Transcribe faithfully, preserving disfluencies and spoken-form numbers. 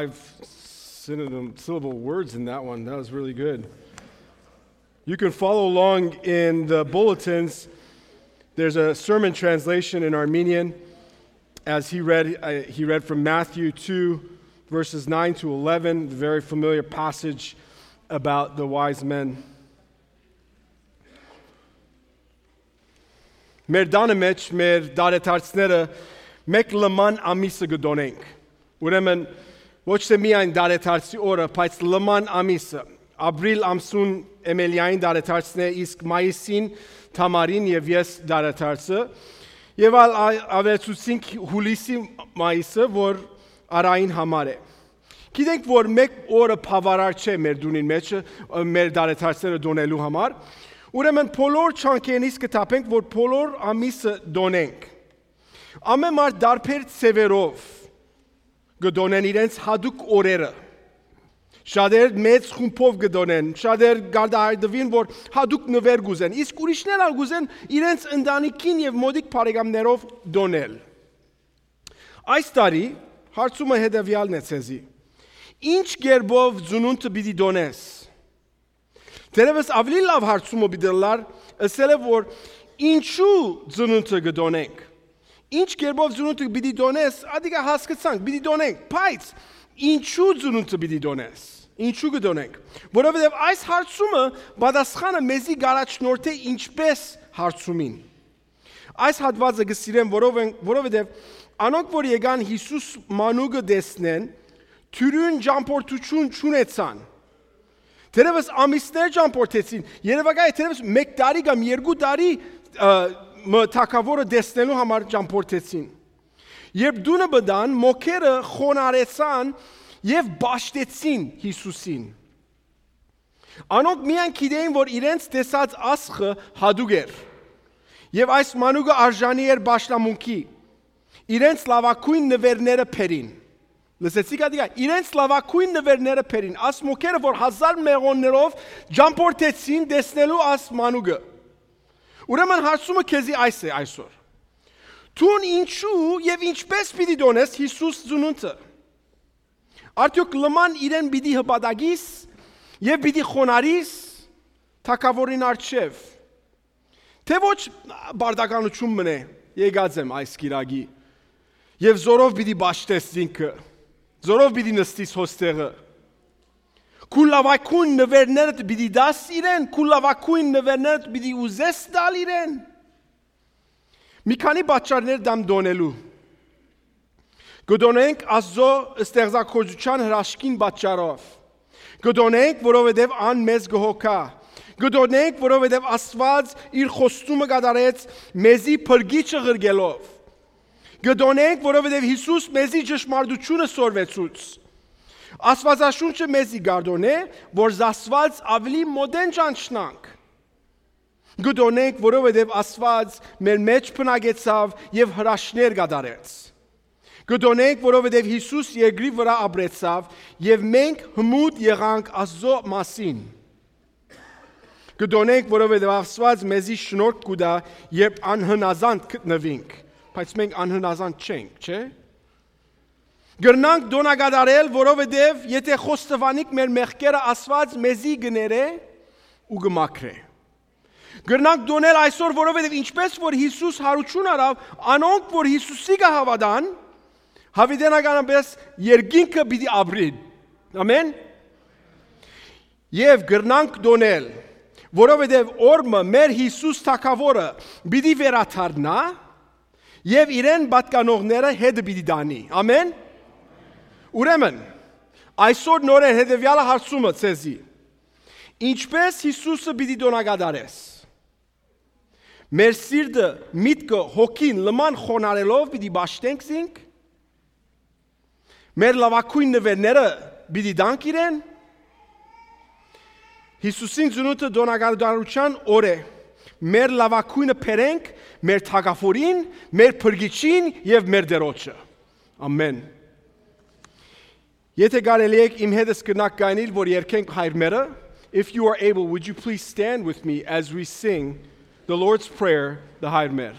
Five synonym syllable words in that one. That was really good. You can follow along in the bulletins. There's a sermon translation in Armenian as he read uh, he read from Matthew two verses nine to eleven, the very familiar passage about the wise men. Մեր դանը մեջ մեր դարեթարցները մեկ լման ամիսը գդոնենք։ Ուրեմն ոչ թե միայն դարեթարցի օրը, բայց լման ամիսը, ապրիլ ամսուն էմելիային դարեթարցն է, իսկ մայիսին թամարին եւ ես դարեթարցը, եւ ավելացուցինք հուլիսի մայիսը, որ արային համար է։ Գիտենք, որ մեկ օրը բավարար չէ մեր դունին մեջ, մեր դարեթարցները դոնելու համար, ուրեմն բոլոր չանքերից կտապենք, որ բոլոր ամիսը դոնենք։ Ամեն մարդ դարբեր ծևերով գդոնեն իրենց հadouk օրերը։ Շատեր մեծ խումբով գդոնեն, շատեր գարդահայտվին, որ հadouk նվեր գուզեն, իսկ ուրիշներ ալ գուզեն իրենց ընտանիքին եւ մոդիկ բարեկամներով դոնել։ Այս տարի հարցումը հետեւյալն է ցեզի. Ինչ գերբով ծնունդը պիտի դոնես։ Դերևս ավելի լավ հարցումը պիտի լար, ասել է, որ ինչու ծնունդը գդոնենք։ Ինչ կերպով ծնունդը պիտի դոնես, ադիկա հասկացանք, պիտի դոնենք, բայց ինչու ծնունդը պիտի դոնես, ինչու կդոնենք, որովհետև այս հարցումը պատասխանը մեզի գարաչնորդ է ինչպես հարցումին։ Այս հատվածը կսիրեմ, որովհետև անոնք, որ եկան Հիսուս մանուկը տեսնեն, թյուրին ճամփորդություն չունեցան։ Թերևս ամիսներ ճամփորդեցին, երևակայ թերևս մեկ տարի կամ երկու տարի թագավորը տեսնելու համար ճամփորդեցին։ Երբ դունը բդան, մոքերը խոնարեցան եւ բաշտեցին Հիսուսին։ Անոնք միայն գիտեին, որ իրենց տեսած ասխը հadouk էր։ Եվ այս մանուկը արժանի էր բաշտամունքի։ Իրենց լավակույն նվերները փերին։ Լսեցիք ադիգա, իրենց լավակույն նվերները փերին։ Աս մոքերը, որ հազար մեղոններով ճամփորդեցին տեսնելու աս մանուկը։ Ուրեմն հարցումը քեզի այս է այսօր։ Տուն ինչու եւ ինչպես պիտի դոնես Հիսուս ծնունդը։ Արդյոք լման իրեն պիտի հպատակիս եւ պիտի խոնարիս թակավորին արչեւ։ Թե ոչ բարդականություն մնե, եկած եմ այս գիրագի։ Եվ զորով պիտի բաշտես ինքը։ Զորով պիտի նստիս հոստեղը։ Կուլավակույն նվերներդ պիտի դաս իրեն, կուլավակույն նվերներդ պիտի ուզես դալ իրեն։ Մի քանի պատճառներ դամ դոնելու։ Գդոնենք Աստծո ստեղծագործության հրաշքին պատճառով։ Գդոնենք, որովհետև ան մեզ գհոգա։ Գդոնենք, որովհետև Աստված իր խոստումը կատարեց մեզի փրկիչը ղրգելով։ Գդոնենք, որովհետև Հիսուս մեզի ճշմարտությունը սորվեցուց։ Աստվածաշունչը մեզի գարդոն է, որ զասված ավելի մոդեն ճանչնանք։ Գդոնենք, որովհետև Աստված մեր մեջ փնագեցավ եւ հրաշքներ կատարեց։ Գդոնենք, որովհետև Հիսուս երկրի վրա ապրեցավ եւ մենք հմուտ եղանք Աստծո մասին։ Գդոնենք, որովհետև Աստված մեզի շնորհք կուտա, երբ անհնազանդ գտնվենք, բայց մենք անհնազանդ չենք, չէ՞։ Գրնանք դոնակատարել, որովհետև եթե խոստովանիկ մեր մեղքերը Աստված մեզի գներե ու գմաքրե։ Գրնանք դոնել այսօր, որովհետև ինչպես որ Հիսուս հարություն արավ, անոնք որ Հիսուսի կհավատան, հավիտենականապես երկինքը պիտի ապրին։ Ամեն։ Եվ գրնանք դոնել, որովհետև օրը մեր Հիսուս թագավորը պիտի վերաթարնա եւ իրեն պատկանողները հետ պիտի դանի։ Ամեն։ Ուրեմն, այսօր նորեն հետևյալը հարցումը ցեզի. Ինչպես Հիսուսը պիտի դոնակատարես։ Մեր սիրտը, միտքը, հոգին լման խոնարելով պիտի բաշտենք զինք։ Մեր լավակույն նվերները պիտի դանք իրեն։ Հիսուսին ծնունդը դոնակատարության օր է։ Մեր լավակույնը փերենք մեր թագավորին, մեր փրկիչին եւ մեր դերոջը։ Ամեն։ Եթե կարելի է իմ հետս կնակ գանիլ, որ երկենք հայրմերը, if you are able, would you please stand with me as we sing the Lord's Prayer, the Hayr Mer.